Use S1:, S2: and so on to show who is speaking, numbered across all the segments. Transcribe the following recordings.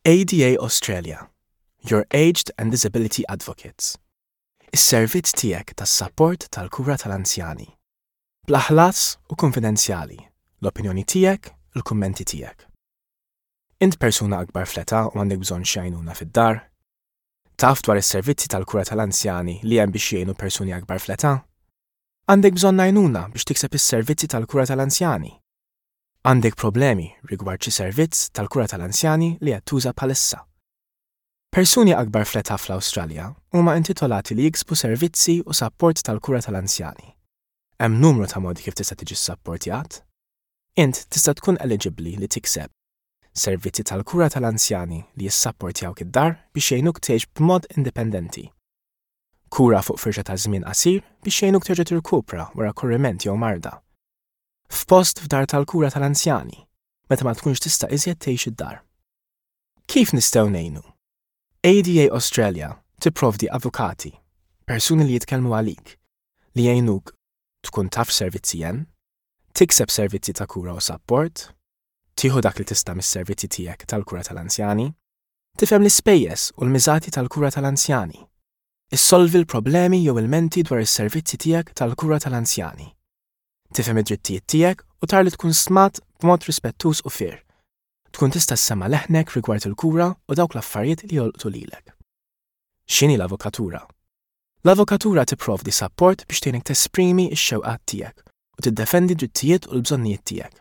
S1: ADA Australia, Your Aged and Disability Advocates. Is-servizz tiegħek tas-sapport tal-kura tal-anzjani. Bla ħlas u kunfidenzjali, l-opinjoni tiegħek, il-kummenti tiegħek. Int persuna akbar fl-età u għandek bżonn xi għajnuna fid-dar? Taf dwar is-servizzi tal-kura tal-anzjani li hemm biex jgħinu persuni akbar fl-età? Għandek bżonn għajnuna biex tikseb is-servizzi tal-kura tal-anzjani? Għandek problemi rigward xi servizz tal-kura tal-anzjani li qed tuża bħalissa. Persuni akbar fl-età fl-Awstralja huma intitolati li jiksbu servizzi u sapport tal-kura tal-anzjani. Hemm numru ta' modi kif tista' tiġi ssapportjat. Int tista' tkun eliġibbli li tikseb servizzi tal-kura tal-anzjani li jissapportjawk id-dar biex jgħinuk tgħix b'mod indipendenti. Kura fuq firxa ta' żmien qasir biex jgħinuk terġa' tirkupra wara korriment jew marda. F'post f'dar tal-kura tal-anzjani, meta ma tkunx tista' iżjed tgħix id-dar. Kif nistgħu ngħinu? ADA Australia tipprovdi avukati, persuni li jitkellmu għalik, li jgħinuk tkun taf x'servizzi hemm, tikseb servizzi ta' kura u sapport, tieħu dak li tista' mis-servizzi tiegħek tal-kura tal-anzjani, tifhem l-ispejjeż u l-miżati tal-kura tal-anzjani, issolvi l-problemi jew ilmenti dwar is-servizzi tiegħek tal-kura tal-anzjani. Tifhem id-drittijiet tiegħek u tara li tkun stmat b'mod rispettuż u fair. Tkun tista' ssemma' leħnek rigward il-kura u dawk l-affarijiet li jolqtu lilek. X'inhi l-avukatura? L-avukatura tipprovdi sapport biex tgħinek tesprimi x-xewqat tiegħek u tiddefendi d-drittijiet u l-bżonnijiet tiegħek.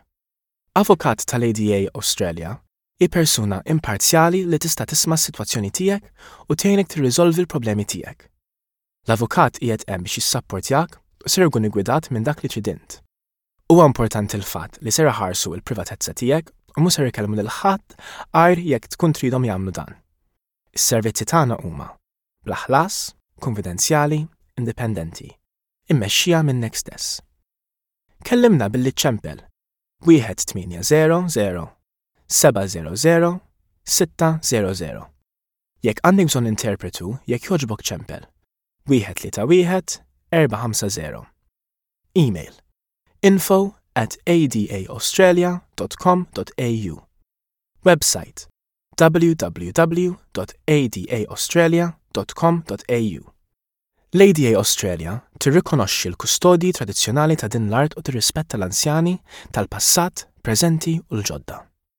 S1: Avukat tal-ADA Australia hi persuna imparzjali li tista' tisma' s-sitwazzjoni tiegħek u tgħinek tirriżolvi l-problemi tiegħek. L-avukat qiegħed hemm biex jissapportjak u ser ikun iggwidat minn dak li trid int. Huwa importanti l-fatt li ser iħarsu l-privatezza tiegħek u mhu ser ikellmu lil ħadd għajr jekk tkun tridhom jagħmlu dan. Is-servizzi tagħna huma bla ħlas, kunfidenzjali, indipendenti, immexxija minnek stess. Kellimna billi ċċempel 1800 700 600. Jekk għandek bżonn interpretu, jekk jogħġbok ċempel. 131 450. Email info@adaaustralia.com.au Website www.adaaustralia.com.au L-ADA Australia tirrikonoxxi l-kustodji tradizzjonali ta' din l-art u tirrispetta l-anzjani tal-passat, preżenti u l-ġodda.